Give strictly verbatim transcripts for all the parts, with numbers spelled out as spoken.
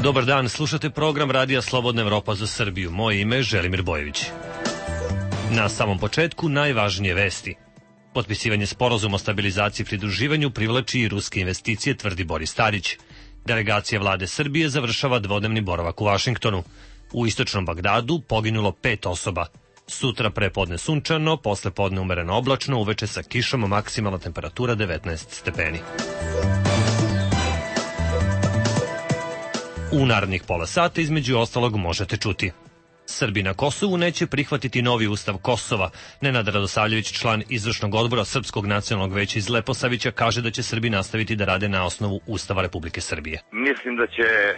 Dobar dan, slušate program Radija Slobodna Evropa za Srbiju. Moje ime je Želimir Bojević. Na samom početku najvažnije vesti. Potpisivanje sporazuma o stabilizaciji i pridruživanju privlači i ruske investicije, tvrdi Boris Tadić. Delegacija vlade Srbije završava dvodnevni boravak u Vašingtonu. U istočnom Bagdadu poginulo pet osoba. Sutra prepodne sunčano, posle podne umereno oblačno, uveče sa kišom, maksimalna temperatura devetnaest stepeni. U narednih pola sata između ostalog možete čuti. Srbi na Kosovu neće prihvatiti novi ustav Kosova. Nenad Radosavljević, član izvršnog odbora Srpskog nacionalnog veća iz Leposavića, kaže da će Srbi nastaviti da rade na osnovu Ustava Republike Srbije. Mislim da će uh,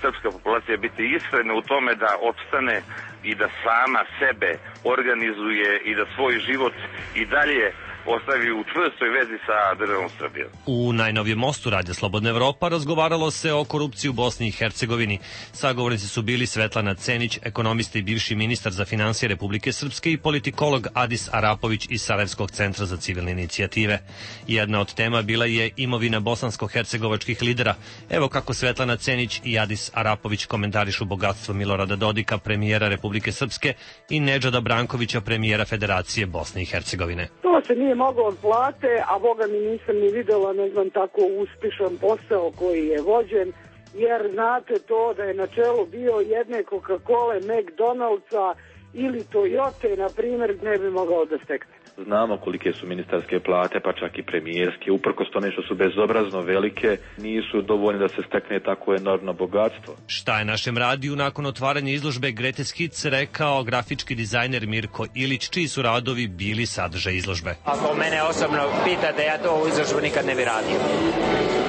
srpska populacija biti iskrena u tome da opstane i da sama sebe organizuje i da svoj život i dalje ostavi u čvrstoj vezi sa državom Srbijom. U najnovijem mostu Radija Slobodna Evropa razgovaralo se o korupciji u Bosni i Hercegovini. Sagovornici su bili Svetlana Cenić, ekonomista i bivši ministar za finansije Republike Srpske, i politikolog Adis Arapović iz Sarajevskog centra za civilne inicijative. Jedna od tema bila je imovina bosansko-hercegovačkih lidera. Evo kako Svetlana Cenić i Adis Arapović komentarišu bogatstvo Milorada Dodika, premijera Republike Srpske, i Nedžada Brankovića, premijera Federacije Bosne i Hercegovine. To se nije moglo od plate, a boga mi nisam ni videla, ne znam, tako uspešan posao koji je vođen, jer znate to da je na čelu bio jedne Coca-Cola, McDonald'sa ili Toyota, na primjer, ne bi mogao da stekne. Znamo kolike su ministarske plate, pa čak i premijerske. Uprkos tome što su bezobrazno velike, nisu dovoljne da se stekne tako enormno bogatstvo. Šta je našem radiju nakon otvaranja izložbe Greatest Hits rekao grafički dizajner Mirko Ilić, čiji su radovi bili sadržaj izložbe? Ako mene osobno pitate, ja to u izložbu nikad ne bi radio.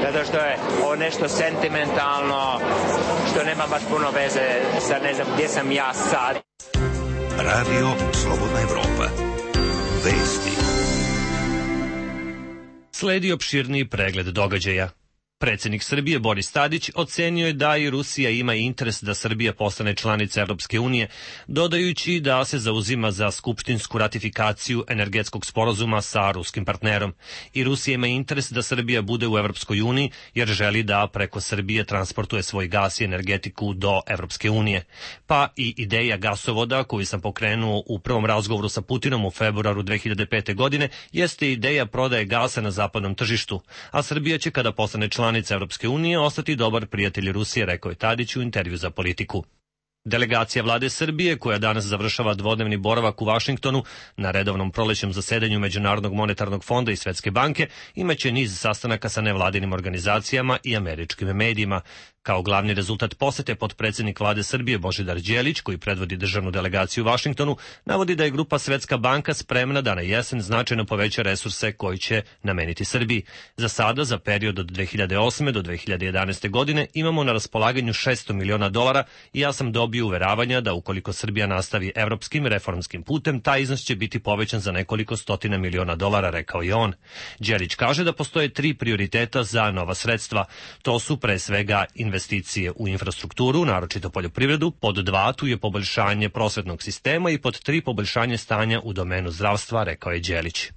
Zato što je ovo nešto sentimentalno, što nema baš puno veze sa ne znam gdje sam ja sad. Radio Slobodna Evropa. Vesti. Sledi opširniji pregled događaja. Predsjednik Srbije Boris Tadić ocenio je da i Rusija ima interes da Srbija postane članica Evropske unije, dodajući da se zauzima za skupštinsku ratifikaciju energetskog sporazuma sa ruskim partnerom. I Rusija ima interes da Srbija bude u Evropskoj uniji, jer želi da preko Srbije transportuje svoj gas i energetiku do Evropske unije. Pa i ideja gasovoda, koju sam pokrenuo u prvom razgovoru sa Putinom u februaru dve hiljade pete. godine, jeste ideja prodaje gasa na zapadnom tržištu, a Srbija će, kada postane članica Evropske unije, ostati dobar prijatelj Rusije, rekao je Tadić u intervju za Politiku. Delegacija vlade Srbije, koja danas završava dvodnevni boravak u Vašingtonu na redovnom prolećnom zasedanju Međunarodnog monetarnog fonda i Svetske banke, imaće niz sastanaka sa nevladinim organizacijama i američkim medijima. Kao glavni rezultat posete potpredsjednik vlade Srbije Božidar Đelić, koji predvodi državnu delegaciju u Vašingtonu, navodi da je grupa Svetska banka spremna da na jesen značajno poveća resurse koji će nameniti Srbiji. Za sada, za period od dve hiljade osme do dve hiljade jedanaeste. godine, imamo na raspolaganju šesto miliona dolara i ja sam dobio uveravanja da ukoliko Srbija nastavi evropskim reformskim putem, taj iznos će biti povećan za nekoliko stotina miliona dolara, rekao je on. Đelić kaže da postoje tri prioriteta za nova sredstva. To su pre svega investicije u infrastrukturu, naročito poljoprivredu, pod dva tu je poboljšanje prosvetnog sistema i pod tri poboljšanje stanja u domenu zdravstva, rekao je Đelić.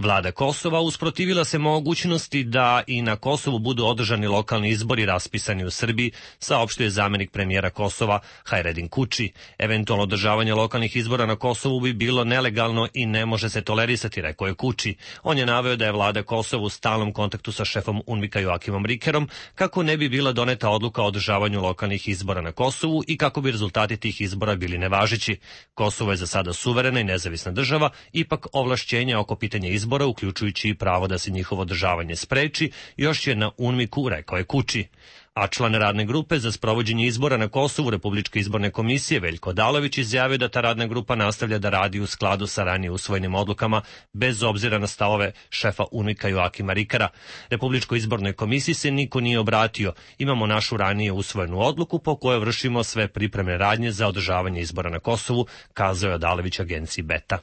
Vlada Kosova usprotivila se mogućnosti da i na Kosovu budu održani lokalni izbori raspisani u Srbiji, saopštio zamenik premijera Kosova Hajredin Kuči. Eventualno održavanje lokalnih izbora na Kosovu bi bilo nelegalno i ne može se tolerisati, rekao je Kuči. On je naveo da je vlada Kosova u stalnom kontaktu sa šefom UNMIK-a Joakimom Rikerom kako ne bi bila doneta odluka o održavanju lokalnih izbora na Kosovu i kako bi rezultati tih izbora bili nevažeći. Kosovo je za sada suverena i nezavisna država, ipak ovlašćenja oko pitanja izbora, uključujući i pravo da se njihovo održavanje spreči, još je na UNMIK-u, rekao je Kuči. A član radne grupe za sprovođenje izbora na Kosovu Republičke izborne komisije Veljko Odalović izjavio da ta radna grupa nastavlja da radi u skladu sa ranije usvojenim odlukama, bez obzira na stavove šefa UNMIK-a Joakima Rikera. Republičkoj izbornoj komisiji se niko nije obratio. Imamo našu ranije usvojenu odluku po kojoj vršimo sve pripremne radnje za održavanje izbora na Kosovu, kazao je Odalović agenciji Beta.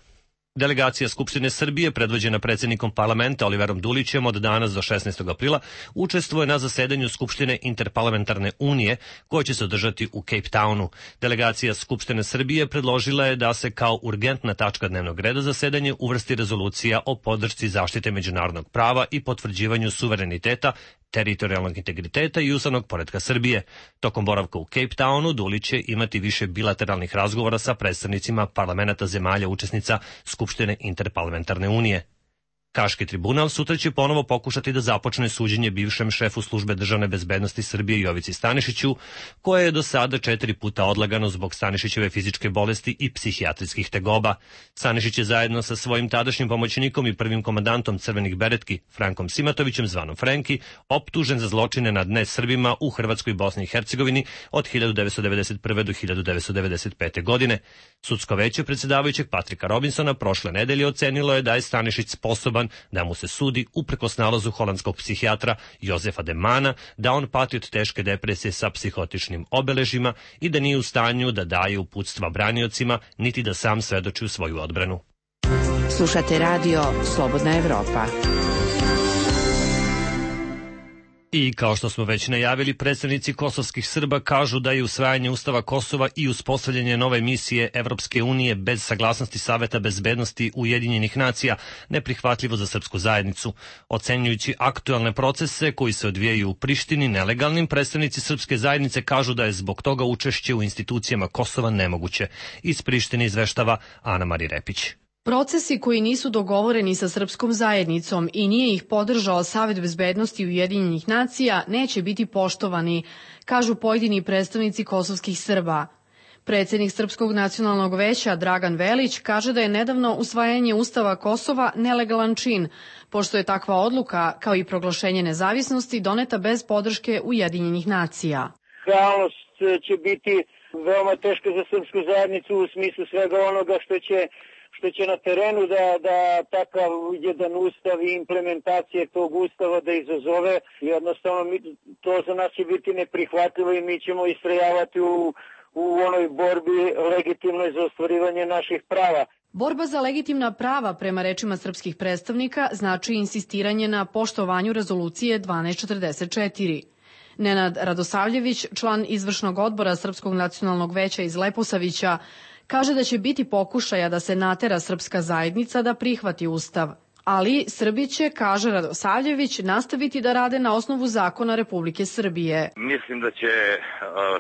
Delegacija Skupštine Srbije, predvođena predsjednikom parlamenta Oliverom Dulićem, od danas do šesnaestog aprila učestvuje na zasedanju Skupštine Interparlamentarne unije, koja će se održati u Cape Townu. Delegacija Skupštine Srbije predložila je da se kao urgentna tačka dnevnog reda zasedanje uvrsti rezolucija o podršci zaštite međunarodnog prava i potvrđivanju suvereniteta teritorijalnog integriteta i ustavnog poretka Srbije. Tokom boravka u Cape Townu Dulić će imati više bilateralnih razgovora sa predstavnicima parlamenata zemalja učesnica Skupštine Interparlamentarne unije. Haški tribunal sutra će ponovo pokušati da započne suđenje bivšem šefu službe državne bezbednosti Srbije Jovici Stanišiću, koje je do sada četiri puta odlagano zbog Stanišićeve fizičke bolesti i psihijatrijskih tegoba. Stanišić je zajedno sa svojim tadašnjim pomoćnikom i prvim komandantom Crvenih beretki, Frankom Simatovićem, zvanom Frenki, optužen za zločine nad nesrbima u Hrvatskoj i Bosni i Hercegovini od hiljadu devetsto devedeset prve do hiljadu devetsto devedeset pete. godine. Sudsko veće predsjedavajućeg Patrika Robinsona prošle nedelje ocenilo je da je Stanišić sposoban da mu se sudi uprkos nalazu holandskog psihijatra Jozefa de Mana da on pati od teške depresije sa psihotičnim obeležima i da nije u stanju da daje uputstva braniocima niti da sam svedoči u svoju odbranu. Slušate radio Slobodna Evropa. I kao što smo već najavili, predstavnici kosovskih Srba kažu da je usvajanje Ustava Kosova i uspostavljanje nove misije Evropske unije bez saglasnosti Saveta bezbednosti Ujedinjenih nacija neprihvatljivo za srpsku zajednicu. Ocenjujući aktuelne procese koji se odvijaju u Prištini nelegalnim, predstavnici srpske zajednice kažu da je zbog toga učešće u institucijama Kosova nemoguće. Iz Prištine izveštava Ana Mari Repić. Procesi koji nisu dogovoreni sa srpskom zajednicom i nije ih podržao Savet bezbednosti Ujedinjenih nacija neće biti poštovani, kažu pojedini predstavnici kosovskih Srba. Predsjednik Srpskog nacionalnog veća Dragan Velić kaže da je nedavno usvajanje Ustava Kosova nelegalan čin, pošto je takva odluka, kao i proglašenje nezavisnosti, doneta bez podrške Ujedinjenih nacija. Realnost će biti veoma teška za srpsku zajednicu u smislu svega onoga što će što će na terenu da, da takav jedan ustav i implementacije tog ustava da izazove. Jednostavno mi, to za nas će biti neprihvatljivo i mi ćemo istrajavati u, u onoj borbi legitimnoj za ostvarivanje naših prava. Borba za legitimna prava, prema rečima srpskih predstavnika, znači insistiranje na poštovanju rezolucije dvanaest četrdeset četiri. Nenad Radosavljević, član izvršnog odbora Srpskog nacionalnog veća iz Leposavića, kaže da će biti pokušaja da se natera srpska zajednica da prihvati ustav. Ali Srbi će, kaže Radosavljević, nastaviti da rade na osnovu zakona Republike Srbije. Mislim da će uh,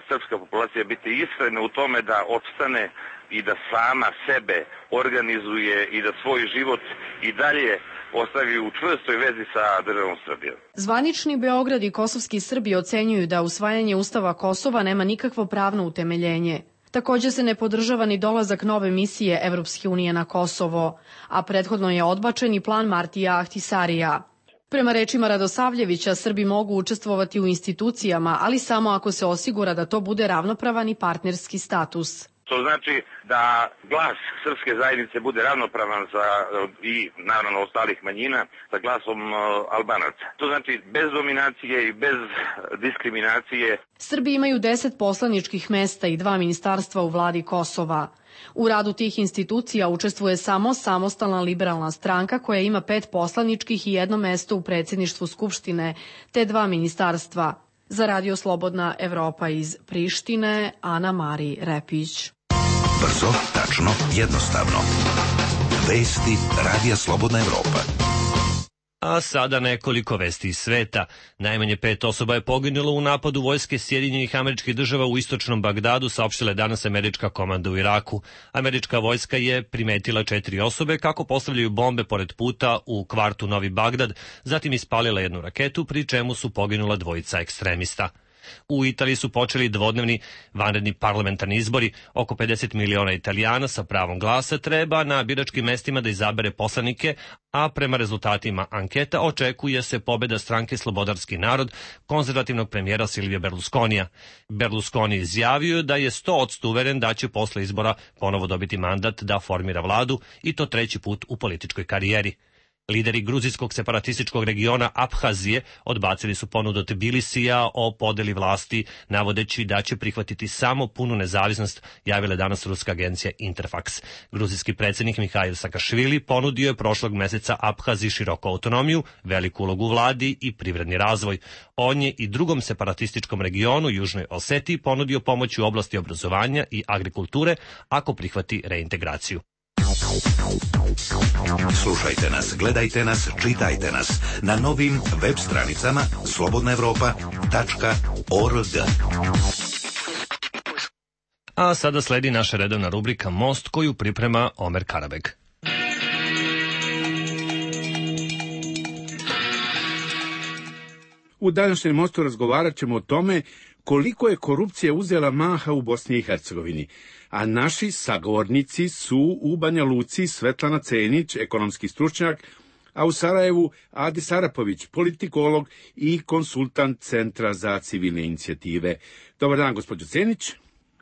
srpska populacija biti iskrena u tome da opstane i da sama sebe organizuje i da svoj život i dalje ostavi u čvrstoj vezi sa državom Srbijom. Zvanični Beograd i kosovski Srbi ocenjuju da usvajanje Ustava Kosova nema nikakvo pravno utemeljenje. Također se ne podržava ni dolazak nove misije Evropske unije na Kosovo, a prethodno je odbačen i plan Martija Ahtisarija. Prema rečima Radosavljevića, Srbi mogu učestvovati u institucijama, ali samo ako se osigura da to bude ravnopravan i partnerski status. To znači da glas srpske zajednice bude ravnopravan za, i naravno ostalih manjina sa glasom Albanaca. To znači bez dominacije i bez diskriminacije. Srbi imaju deset poslaničkih mesta i dva ministarstva u vladi Kosova. U radu tih institucija učestvuje samo samostalna liberalna stranka koja ima pet poslaničkih i jedno mesto u predsjedništvu Skupštine, te dva ministarstva. Za Radio Slobodna Evropa iz Prištine, Ana Mari Repić. Brzo, tačno, jednostavno. Vesti Radija Slobodna Evropa. A sada nekoliko vesti iz sveta. Najmanje pet osoba je poginulo u napadu vojske Sjedinjenih Američkih Država u istočnom Bagdadu, saopštila je danas američka komanda u Iraku. Američka vojska je primetila četiri osobe kako postavljaju bombe pored puta u kvartu Novi Bagdad, zatim ispalila jednu raketu, pri čemu su poginula dvojica ekstremista. U Italiji su počeli dvodnevni vanredni parlamentarni izbori. Oko pedeset miliona Italijana sa pravom glasa treba na biračkim mestima da izabere poslanike, a prema rezultatima anketa očekuje se pobeda stranke Slobodarski narod konzervativnog premijera Silvija Berlusconija. Berlusconi izjavio da je sto posto uveren da će posle izbora ponovo dobiti mandat da formira vladu i to treći put u političkoj karijeri. Lideri gruzijskog separatističkog regiona Abhazije odbacili su ponudu Tbilisija o podeli vlasti, navodeći da će prihvatiti samo punu nezavisnost, javila danas ruska agencija Interfax. Gruzijski predsjednik Mihail Sakašvili ponudio je prošlog meseca Abhaziji široku autonomiju, veliku ulogu u vladi i privredni razvoj. On je i drugom separatističkom regionu, Južnoj Osetiji, ponudio pomoć u oblasti obrazovanja i agrikulture ako prihvati reintegraciju. Slušajte nas, gledajte nas, čitajte nas na novim web stranicama slobodna evropa tačka org. A sada sledi naša redovna rubrika Most koju priprema Omer Karabeg. U današnjem Mostu razgovarat ćemo o tome koliko je korupcija uzela maha u Bosni i Hercegovini, a naši sagovornici su u Banja Luci Svetlana Cenić, ekonomski stručnjak, a u Sarajevu Adis Arapović, politikolog i konsultant Centra za civilne inicijative. Dobar dan, gospođo Cenić.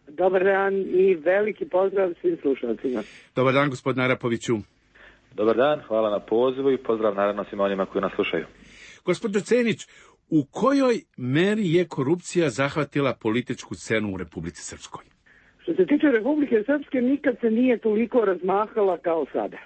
Dobar dan i veliki pozdrav svim slušalcima. Dobar dan, gospodine Arapoviću. Dobar dan, hvala na pozivu i pozdrav naravno svima onima koji nas slušaju. Gospođo Cenić, u kojoj meri je korupcija zahvatila političku scenu u Republici Srpskoj? Što se tiče Republike Srpske, nikad se nije toliko razmahala kao sada.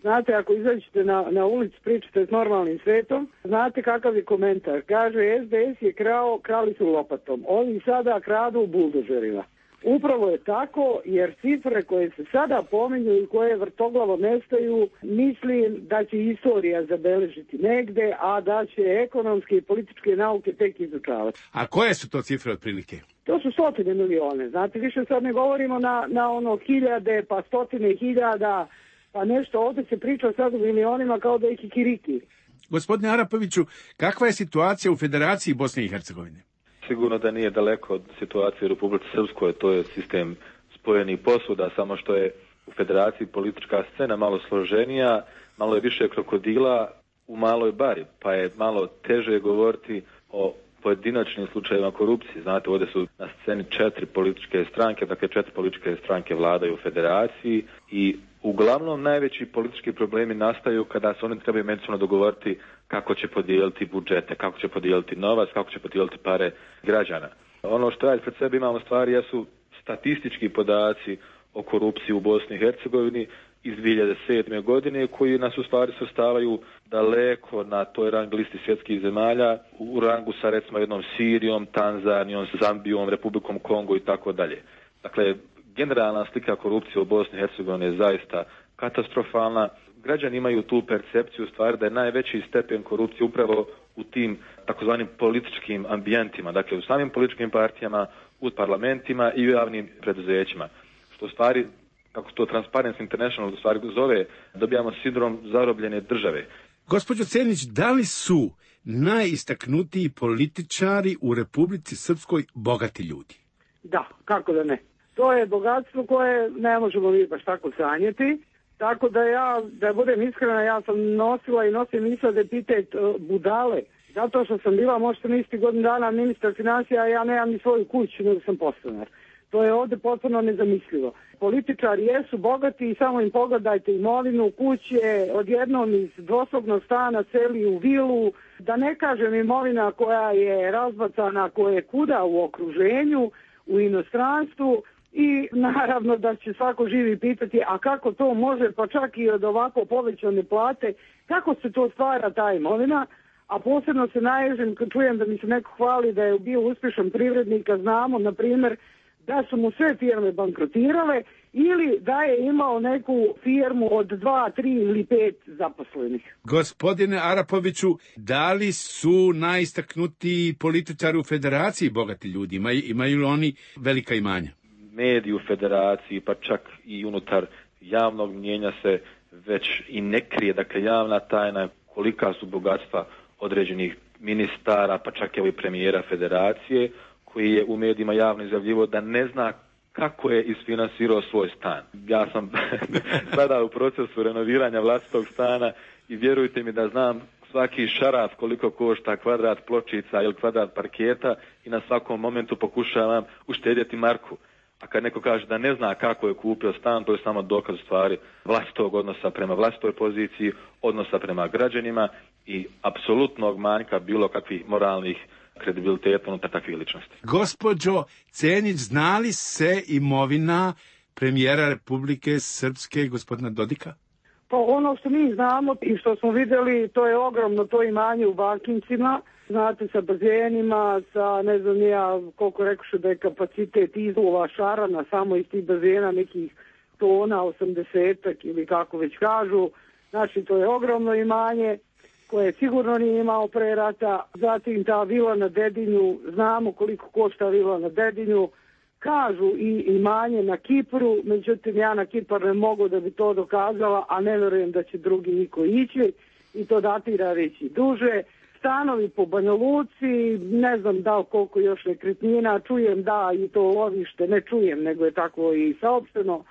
Znate, ako izađete na, na ulicu, pričate s normalnim svetom, znate kakav je komentar. Kaže, es de es je krao, krali su lopatom. Ovi sada kradu buldožerima. Upravo je tako, jer cifre koje se sada pominju i koje vrtoglavo nestaju, mislim da će istorija zabeležiti negde, a da će ekonomske i političke nauke tek izučavati. A koje su to cifre otprilike? To su stotine milione. Znate, više sad ne govorimo na, na ono hiljade, pa stotine hiljada, pa nešto. Ovdje se priča sad o milionima kao da je kikiriki. Gospodine Arapoviću, kakva je situacija u Federaciji Bosne i Hercegovine? Sigurno da nije daleko od situacije u Republici Srpskoj, to je sistem spojenih posuda, samo što je u Federaciji politička scena malo složenija, malo je više krokodila u maloj bari, pa je malo teže govoriti o pojedinačnim slučajevima korupcije. Znate, ovdje su na sceni četiri političke stranke, dakle četiri političke stranke vladaju u Federaciji i uglavnom najveći politički problemi nastaju kada se oni trebaju međusobno dogovoriti kako će podijeliti budžete, kako će podijeliti novac, kako će podijeliti pare građana. Ono što ja pred sebi imamo stvari jesu statistički podaci o korupciji u Bosni i Hercegovini iz dvije hiljade sedme. godine koji nas u stvari sastavaju daleko na toj rang listi svjetskih zemalja u rangu sa recimo jednom Sirijom, Tanzanijom, Zambijom, Republikom Kongo i tako dalje. Dakle, generalna slika korupcije u Bosni i Hercegovini je zaista katastrofalna. Građani imaju tu percepciju stvari da je najveći stepen korupcije upravo u tim takozvanim političkim ambijentima, dakle u samim političkim partijama, u parlamentima i u javnim preduzećima. Što u stvari, kako to Transparency International u stvari zove, dobijamo sindrom zarobljene države. Gospođo Cenić, da li su najistaknutiji političari u Republici Srpskoj bogati ljudi? Da, kako da ne. To je bogatstvo koje ne možemo mi baš tako sanjati. Tako da ja, da budem iskrena, ja sam nosila i nosim misla da pitajte budale. Zato što sam bila možda misliti godinu dana ministar financija, a ja nemam ni svoju kuću, nego sam podstanar. To je ovdje potpuno nezamislivo. Političari jesu bogati i samo im pogledajte imovinu, kuće, odjednom iz dvosobnog stana celi u vilu. Da ne kažem imovina koja je razbacana, koja je kuda u okruženju, u inostranstvu. I naravno da će svako živi pitati, a kako to može, pa čak i od ovako povećane plate, kako se to stvara ta imovina, a posebno se naježim kad čujem da mi se neko hvali da je bio uspješan privrednik, a znamo, na primjer, da su mu sve firme bankrotirale ili da je imao neku firmu od dva, tri ili pet zaposlenih. Gospodine Arapoviću, da li su najistaknutiji političari u Federaciji bogati ljudi? Imaju, imaju li oni velika imanja? Mediji u Federaciji, pa čak i unutar javnog mnijenja se već i ne krije, dakle javna tajna kolika su bogatstva određenih ministara, pa čak i premijera Federacije, koji je u medijima javno izjavljivo da ne zna kako je isfinansirao svoj stan. Ja sam sada u procesu renoviranja vlastitog stana i vjerujte mi da znam svaki šaraf koliko košta kvadrat pločica ili kvadrat parketa i na svakom momentu pokušavam uštedjeti marku. A kad neko kaže da ne zna kako je kupio stan, to je samo dokaz stvari vlastitog odnosa prema vlastitoj poziciji, odnosa prema građanima i apsolutnog manjka bilo kakvih moralnih kredibiliteta unutar takvih ličnosti. Gospođo Cenić, zna li se imovina premijera Republike Srpske, gospodina Dodika? Pa ono što mi znamo i što smo vidjeli, to je ogromno to imanje u Bakincima, znate, sa bazenima, sa ne znam ja koliko rekoše da je kapacitet izlova šarana samo iz tih bazena nekih tona, osamdesetak ili kako već kažu. Znači, to je ogromno imanje koje sigurno nije imao pre rata. Zatim ta vila na Dedinju, znamo koliko košta vila na Dedinju. Kažu i imanje na Kipru, međutim ja na Kipar ne mogu da bi to dokazala, a ne verujem da će drugi niko ići i to datira već i duže. Stanovi po Banja Luci, ne znam da li koliko još nekretnina, čujem da i to lovište, ne čujem nego je tako i saopšteno,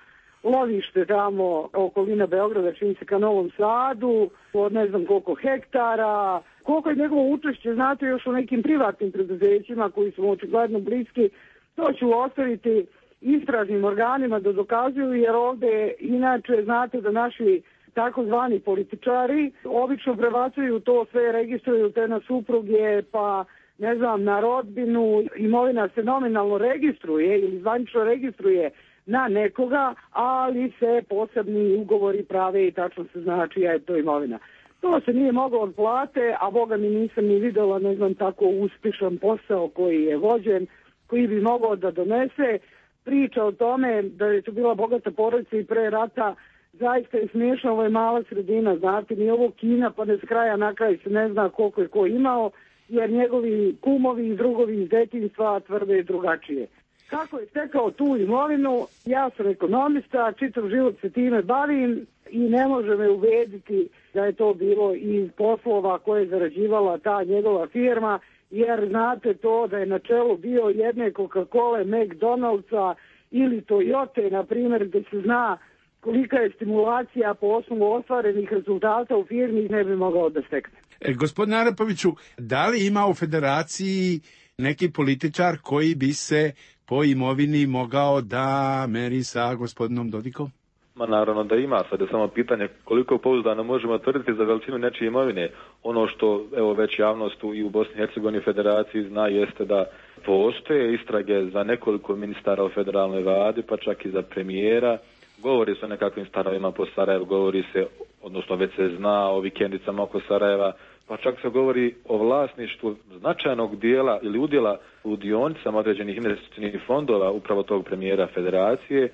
lovište tamo okolina Beograda, čini se ka Novom Sadu, od ne znam koliko hektara, koliko je njegovo učešće, znate, još u nekim privatnim preduzećima koji su očigledno bliski. To ću ostaviti istražnim organima da dokazuju, jer ovde inače znate da naši takozvani političari obično prebacuju to, sve registruju te na supruge, pa ne znam, na rodbinu, imovina se nominalno registruje ili zvanično registruje na nekoga, ali se posebni ugovori prave i tačno se zna čija je to imovina. To se nije moglo od plate, a boga mi nisam ni videla, ne znam, tako uspešan posao koji je vođen, koji bi mogao da donese. Priča o tome da je to bila bogata porodica i pre rata, zaista je smiješno, ovo je mala sredina, znate, ni ovo Kina, pa ne s kraja na kraj se ne zna koliko je ko imao, jer njegovi kumovi i drugovi iz detinjstva tvrde drugačije. Kako je stekao tu imovinu, ja sam ekonomista, čitav život se time bavim i ne može me ubediti da je to bilo iz poslova koje je zarađivala ta njegova firma, jer znate to da je na čelu bio jedne Coca-Cola, McDonald'sa ili Toyota, na primjer, gdje se zna kolika je stimulacija po osnovu ostvarenih rezultata u firmi, ne bi mogao da stekne. E, gospodine Arapoviću, da li ima u federaciji neki političar koji bi se po imovini mogao da meri sa gospodinom Dodikom? Ma naravno da ima, sad je samo pitanje koliko pouzdano možemo tvrditi za veličinu nečije imovine. Ono što evo već javnost i u Bosni i Hercegovini federaciji zna jeste da postoje istrage za nekoliko ministara u federalnoj vladi, pa čak i za premijera. Govori se o nekakvim stanovima po Sarajevu, govori se, odnosno već se zna o vikendicama oko Sarajeva, pa čak se govori o vlasništvu značajnog dijela ili udjela u dionicama određenih investicijnih fondova upravo tog premijera federacije,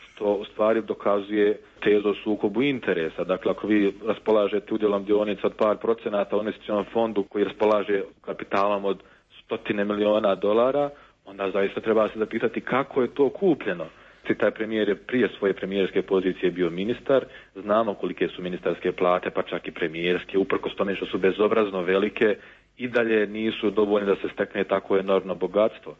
što u stvari dokazuje tezu o sukobu interesa. Dakle, ako vi raspolažete udjelom dionica od par procenata u investicijnom fondu koji raspolaže kapitalom od stotine miliona dolara, onda zaista treba se zapitati kako je to kupljeno. Taj premijer je prije svoje premijerske pozicije bio ministar, znamo kolike su ministarske plate, pa čak i premijerske, uprkos tome što su bezobrazno velike, i dalje nisu dovoljne da se stekne tako enormno bogatstvo.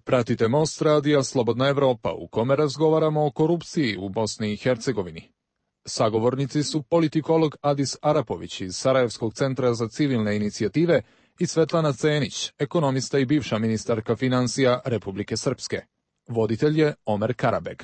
Pratite Most radija Slobodna Evropa, u kome razgovaramo o korupciji u Bosni i Hercegovini. Sagovornici su politikolog Adis Arapović iz Sarajevskog centra za civilne inicijative i Svetlana Cenić, ekonomista i bivša ministarka financija Republike Srpske. Voditelj je Omer Karabeg.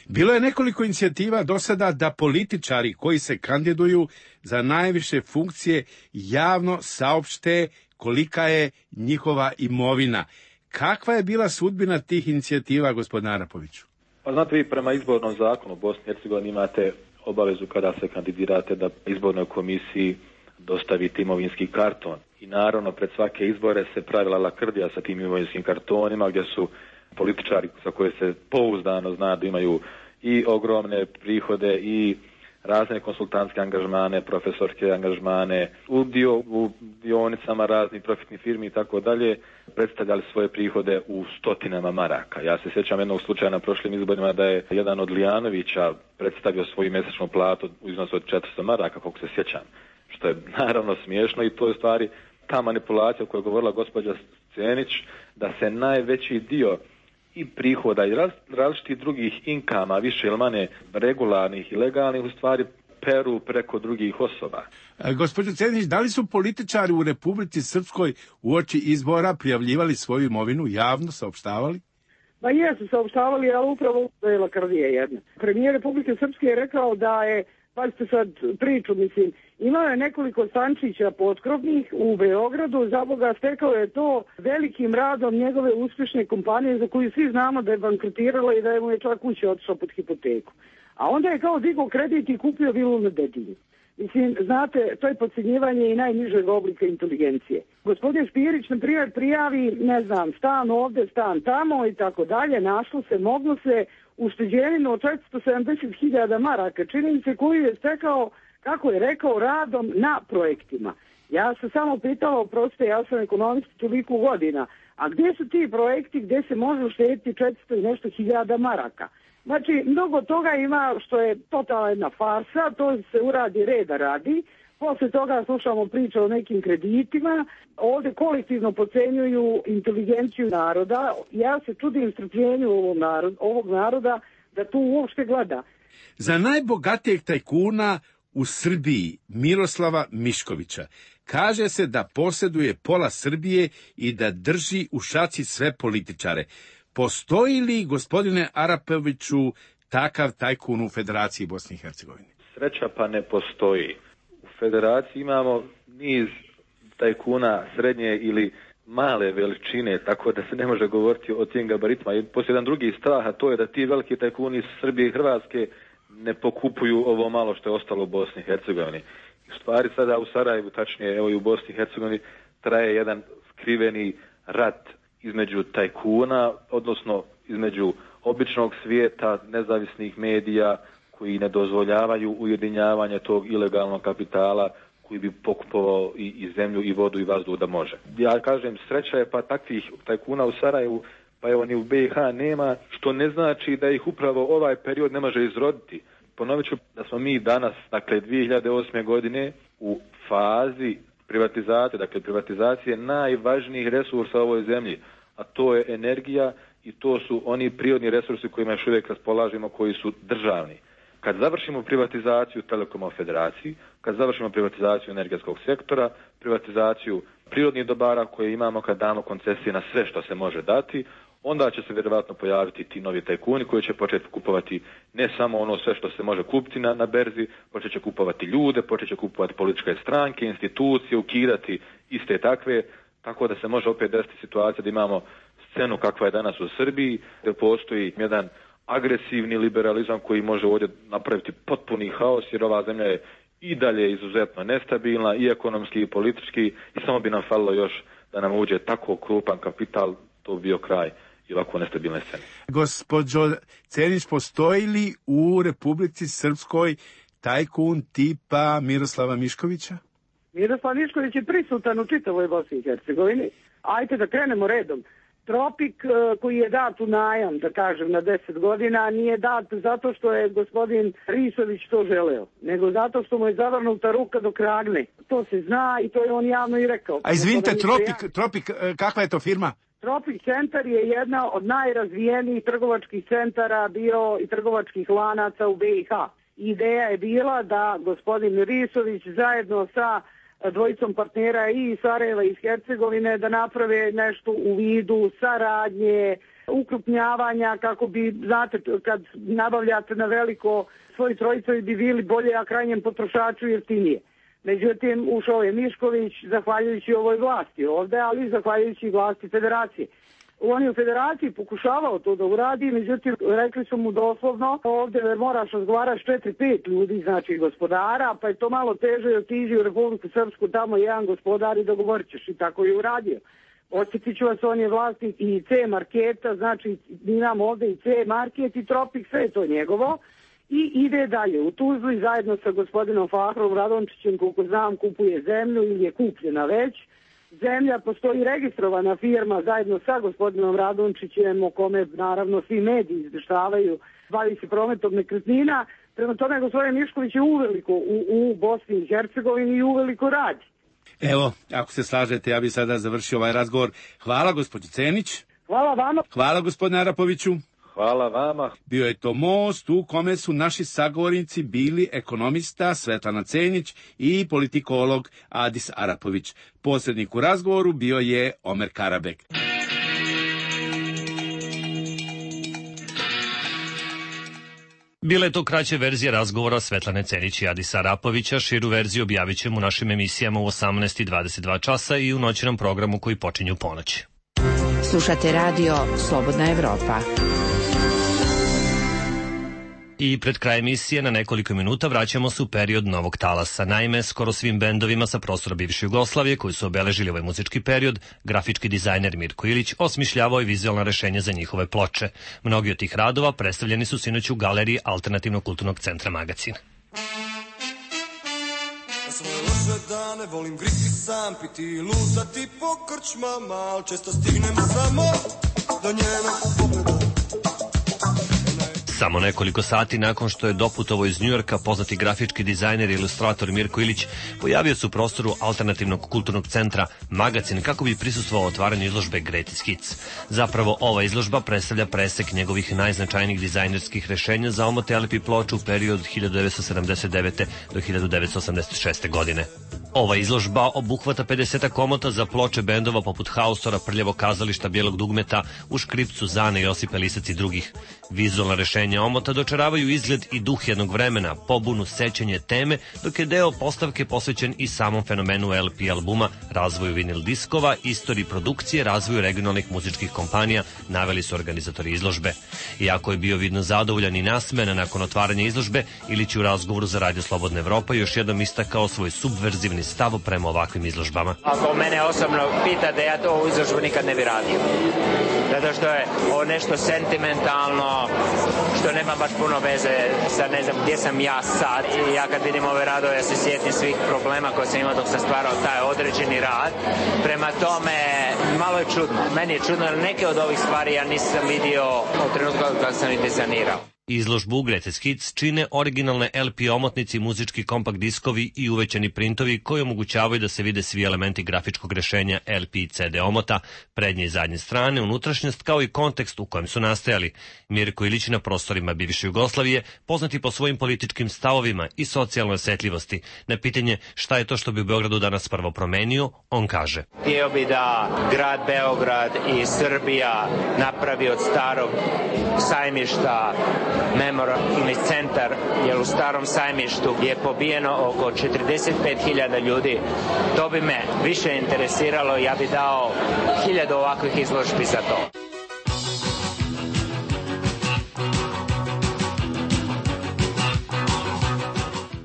Bilo je nekoliko inicijativa do sada da političari koji se kandiduju za najviše funkcije javno saopšte kolika je njihova imovina. Kakva je bila sudbina tih inicijativa, gospodine Arapoviću? Pa znate, vi prema izbornom zakonu u Bosni i Hercegovini imate obavezu kada se kandidirate da izbornoj komisiji dostavite imovinski karton. I naravno, pred svake izbore se pravila lakrdija sa tim imovinskim kartonima, gdje su političari sa koje se pouzdano zna da imaju i ogromne prihode i razne konsultantske angažmane, profesorske angažmane, udio u dionicama raznih profitnih firmi i tako dalje, predstavljali svoje prihode u stotinama maraka. Ja se sjećam jednog slučaja na prošlim izborima da je jedan od Lijanovića predstavio svoju mjesečnu platu u iznosu od četiristo maraka, koliko se sjećam, što je naravno smiješno i to je stvari ta manipulacija o kojoj je govorila gospođa Cenić, da se najveći dio i prihoda i raz, različitih drugih inkama, više ili manje regularnih i legalnih, u stvari peru preko drugih osoba. E, gospođo Cenić, da li su političari u Republici Srpskoj uoči izbora prijavljivali svoju imovinu, javno saopštavali? Pa jesu saopštavali, ali upravo to je lakrdija jedna. Premijer Republike Srpske je rekao da je, pazite sad priču, mislim, imao je nekoliko stančića potkrovnih u Beogradu, za Boga stekao je to velikim radom njegove uspješne kompanije za koju svi znamo da je bankrotirala i da je mu je čak kuća otišla pod hipoteku. A onda je kao digao kredit i kupio vilu na Dedinju. Mislim, znate, to je podcjenjivanje i najnižeg oblika inteligencije. Gospodin Špirić, na primjer, prijavi, ne znam, stan ovde, stan tamo i tako dalje, našlo se, moglo se, ušteđeninu od četiristo sedamdeset hiljada maraka, čini mi se, koju je stekao, kako je rekao, radom na projektima. Ja sam samo pitala, proste, ja sam ekonomist toliko godina, a gdje su ti projekti gdje se može uštediti četiristo i nešto hiljada maraka? Znači, mnogo toga ima što je totalna jedna farsa, to se uradi reda radi, posle toga slušamo priče o nekim kreditima, ovdje kolektivno pocenjuju inteligenciju naroda, ja se čudim strpljenju ovog naroda, ovog naroda da tu uopšte gleda. Za najbogatijeg tajkuna u Srbiji, Miroslava Miškovića, kaže se da posjeduje pola Srbije i da drži u šaci sve političare. Postoji li, gospodine Arapoviću, takav tajkun u Federaciji Bosne i Hercegovine? Sreća pa ne postoji. U Federaciji imamo niz tajkuna srednje ili male veličine, tako da se ne može govoriti o tim gabaritima. I poslije jedan drugi strah, a to je da ti veliki tajkuni iz Srbije i Hrvatske ne pokupuju ovo malo što je ostalo u Bosni i Hercegovini. U stvari sada u Sarajevu, tačnije evo i u Bosni i Hercegovini, traje jedan skriveni rat između tajkuna, odnosno između običnog svijeta, nezavisnih medija koji ne dozvoljavaju ujedinjavanje tog ilegalnog kapitala koji bi pokupovao i, i zemlju i vodu i vazduh da može. Ja kažem, sreća je pa takvih tajkuna u Sarajevu, pa evo ni u B i H nema, što ne znači da ih upravo ovaj period ne može izroditi. Ponovit ću da smo mi danas, dakle dvije hiljade osme godine, u fazi privatizacije, dakle privatizacije najvažnijih resursa u ovoj zemlji, a to je energija i to su oni prirodni resursi kojima još uvijek raspolažemo, koji su državni. Kad završimo privatizaciju Telekoma u Federaciji, kad završimo privatizaciju energetskog sektora, privatizaciju prirodnih dobara koje imamo, kad damo koncesije na sve što se može dati, onda će se vjerovatno pojaviti ti novi tajkuni koji će početi kupovati ne samo ono sve što se može kupiti na, na berzi, počet će kupovati ljude, počet će kupovati političke stranke, institucije, ukidati iste takve, tako da se može opet desiti situacija da imamo scenu kakva je danas u Srbiji, gdje postoji jedan agresivni liberalizam koji može ovdje napraviti potpuni haos, jer ova zemlja je i dalje izuzetno nestabilna i ekonomski i politički i samo bi nam falilo još da nam uđe tako krupan kapital, to bi bio kraj i ovako nestabilne scene. Gospođo Cenić, postoji li u Republici Srpskoj tajkun tipa Miroslava Miškovića? Miroslav Mišković je prisutan u čitavoj Bosni i Hercegovini. Ajde da krenemo redom. Tropik koji je dat u najam, da kažem, na deset godina, nije dat zato što je gospodin Risović to želeo, nego zato što mu je zavrnuta ruka do kragne. To se zna i to je on javno i rekao. A izvinite, Tropik, Tropik, kakva je to firma? Tropik centar je jedna od najrazvijenijih trgovačkih centara bio i trgovačkih lanaca u B i H. Ideja je bila da gospodin Risović zajedno sa dvojicom partnera i iz Sarajeva i iz Hercegovine da naprave nešto u vidu saradnje, ukrupnjavanja, kako bi, znate, kad nabavljate na veliko, svoji trojicovi bi bili bolje, a krajnjem potrošaču jeftinije. Međutim, ušao je Mišković zahvaljujući ovoj vlasti ovde, ali zahvaljujući vlasti Federacije. On je u Federaciji pokušavao to da uradi, međutim, rekli su mu doslovno, ovdje moraš razgovarati s četiri pet ljudi, znači gospodara, pa je to malo teže, otiđi u Republiku Srpsku, tamo jedan gospodar i dogovorit ćeš, i tako je uradio. Osjetit ću vas, on je vlasnik i C marketa, znači imamo ovdje i C market i Tropik, sve je to njegovo, i ide dalje. U Tuzli zajedno sa gospodinom Fahrom Radončićem, koliko znam, kupuje zemlju ili je kupljena već. Zemlja, postoji registrovana firma zajedno sa gospodinom Radončićem, o kome naravno svi mediji izveštavaju, bavi se prometom nekretnina. Prema tome, gospodin Mišković je uveliko u, u Bosni i Hercegovini i uveliko radi. Evo, ako se slažete, ja bih sada završio ovaj razgovor. Hvala, gospođo Cenić. Hvala vama. Hvala, gospodine Arapoviću. Hvala vama. Bio je to most u kome su naši sagovornici bili ekonomista Svetlana Cenić i politikolog Adis Arapović. Posrednik u razgovoru bio je Omer Karabek. Bila je to kraća verzija razgovora Svetlane Cenić i Adisa Arapovića. Širu verziju objavit ćemo u našim emisijama u osamnaest i dvadeset dva časa i u noćnom programu koji počinju u ponoć. Slušate radio Slobodna Evropa. I pred kraj emisije na nekoliko minuta vraćamo se u period novog talasa. Naime, skoro svim bendovima sa prostora bivše Jugoslavije koji su obeležili ovaj muzički period, grafički dizajner Mirko Ilić osmišljavao je vizualna rešenja za njihove ploče. Mnogi od tih radova predstavljeni su sinoć u galeriji Alternativnog kulturnog centra Magacin. Svoje loše dane volim griti sam, piti i lutati po krčmama, al često stignem samo do njenog pogleda. Samo nekoliko sati nakon što je doputovao iz Njujorka, poznati grafički dizajner i ilustrator Mirko Ilić pojavio se u prostoru Alternativnog kulturnog centra Magacin kako bi prisustvovao otvaranju izložbe Greatest Hits. Zapravo, ova izložba predstavlja presek njegovih najznačajnijih dizajnerskih rešenja za omote L P ploču u periodu od hiljadu devetsto sedamdeset devete. do hiljadu devetsto osamdeset šeste. godine. Ova izložba obuhvata pedeset omota za ploče bendova poput Haustora, Prljavog kazališta, Bijelog dugmeta, U škripcu, Zane, Josipa Lisac i drugih. Vizualna rešenja omota dočaravaju izgled i duh jednog vremena, pobunu, sećanje teme, dok je deo postavke posvećen i samom fenomenu L P albuma, razvoju vinil diskova, istoriji produkcije, razvoju regionalnih muzičkih kompanija, naveli su organizatori izložbe. Iako je bio vidno zadovoljan i nasmejan nakon otvaranja izložbe, Ilić u razgovoru za Radio Slobodna Evropa još jednom istakao svoj subverzivni stav prema ovakvim izložbama. Ako mene osobno pitate, ja to u izložbu nikad ne bi radio. Zato što je ovo nešto sentimentalno, što nema baš puno veze sa ne znam gdje sam ja sad. I ja kad vidim ove radove, ja se sjetim svih problema koje sam imao dok sam stvarao taj određeni rad. Prema tome, malo je čudno. Meni je čudno, jer neke od ovih stvari ja nisam vidio od trenutka kad sam ih dizajnirao. Izložbu Greatest Hits čine originalne L P omotnici, muzički kompakt diskovi i uvećani printovi koji omogućavaju da se vide svi elementi grafičkog rešenja L P i C D omota, prednje i zadnje strane, unutrašnjost kao i kontekst u kojem su nastajali. Mirko Ilić na prostorima bivše Jugoslavije, poznati po svojim političkim stavovima i socijalnoj osetljivosti. Na pitanje šta je to što bi u Beogradu danas prvo promenio, on kaže: Htio bi da grad Beograd i Srbija napravi od starog sajmišta memorialni centar, jer u starom sajmištu je pobijeno oko četrdeset pet hiljada ljudi. To bi me više interesiralo, ja bi dao hiljadu ovakvih izložbi za to.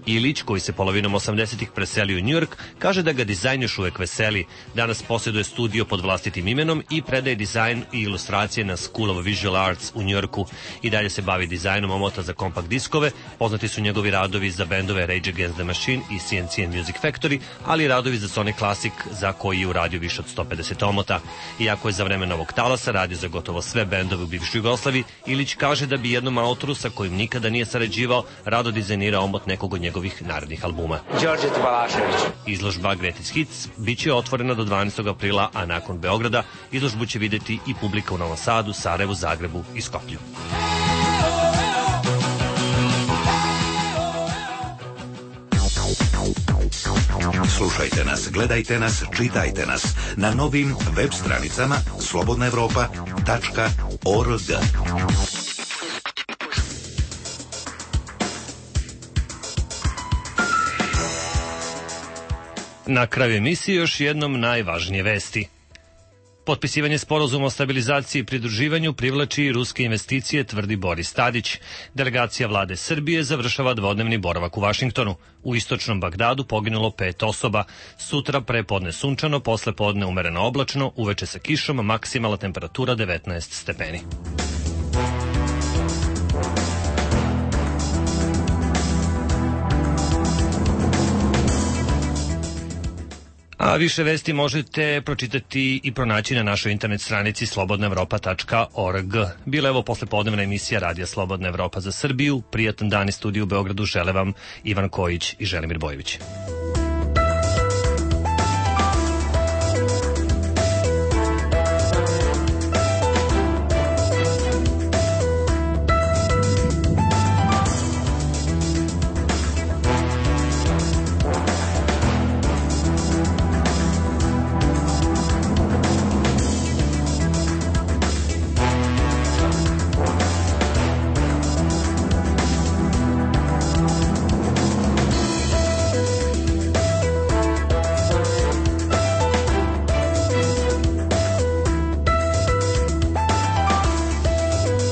Ilić, koji se polovinom osamdesetih preselio u Njujork, kaže da ga dizajn još uvek veseli. Danas posjeduje studio pod vlastitim imenom i predaje dizajn i ilustracije na School of Visual Arts u Njujorku. I dalje se bavi dizajnom omota za kompakt diskove, poznati su njegovi radovi za bendove Rage Against the Machine i C N C and Music Factory, ali i radovi za Sony Classic, za koji je uradio više od sto pedeset omota. Iako je za vreme novog talasa radio za gotovo sve bendove u bivšoj Jugoslaviji, Ilić kaže da bi jednom autoru sa kojim nikada nije sarađivao rado dizajnirao omot nekog od njegovih narednih albuma. Đorđe Balašević. Izložba Greatest Hits biće otvorena do dvanaestog aprila, a nakon Beograda izložbu će videti i publika u Novom Sadu, Sarajevu, Zagrebu i Skoplju. Slušajte nas, gledajte nas, čitajte nas na novim web stranicama slobodna evropa tačka org. Na kraju emisije još jednom najvažnije vesti. Potpisivanje sporazuma o stabilizaciji i pridruživanju privlači i ruske investicije, tvrdi Boris Tadić. Delegacija vlade Srbije završava dvodnevni boravak u Vašingtonu. U istočnom Bagdadu poginulo pet osoba. Sutra prepodne sunčano, posle podne umereno oblačno, uveče sa kišom, maksimalna temperatura devetnaest stepeni. A više vesti možete pročitati i pronaći na našoj internet stranici slobodna evropa tačka org. Bila je ovo poslepodnevna emisija Radija Slobodna Evropa za Srbiju. Prijatan dan iz studiju u Beogradu žele vam Ivan Kojić i Želimir Bojović.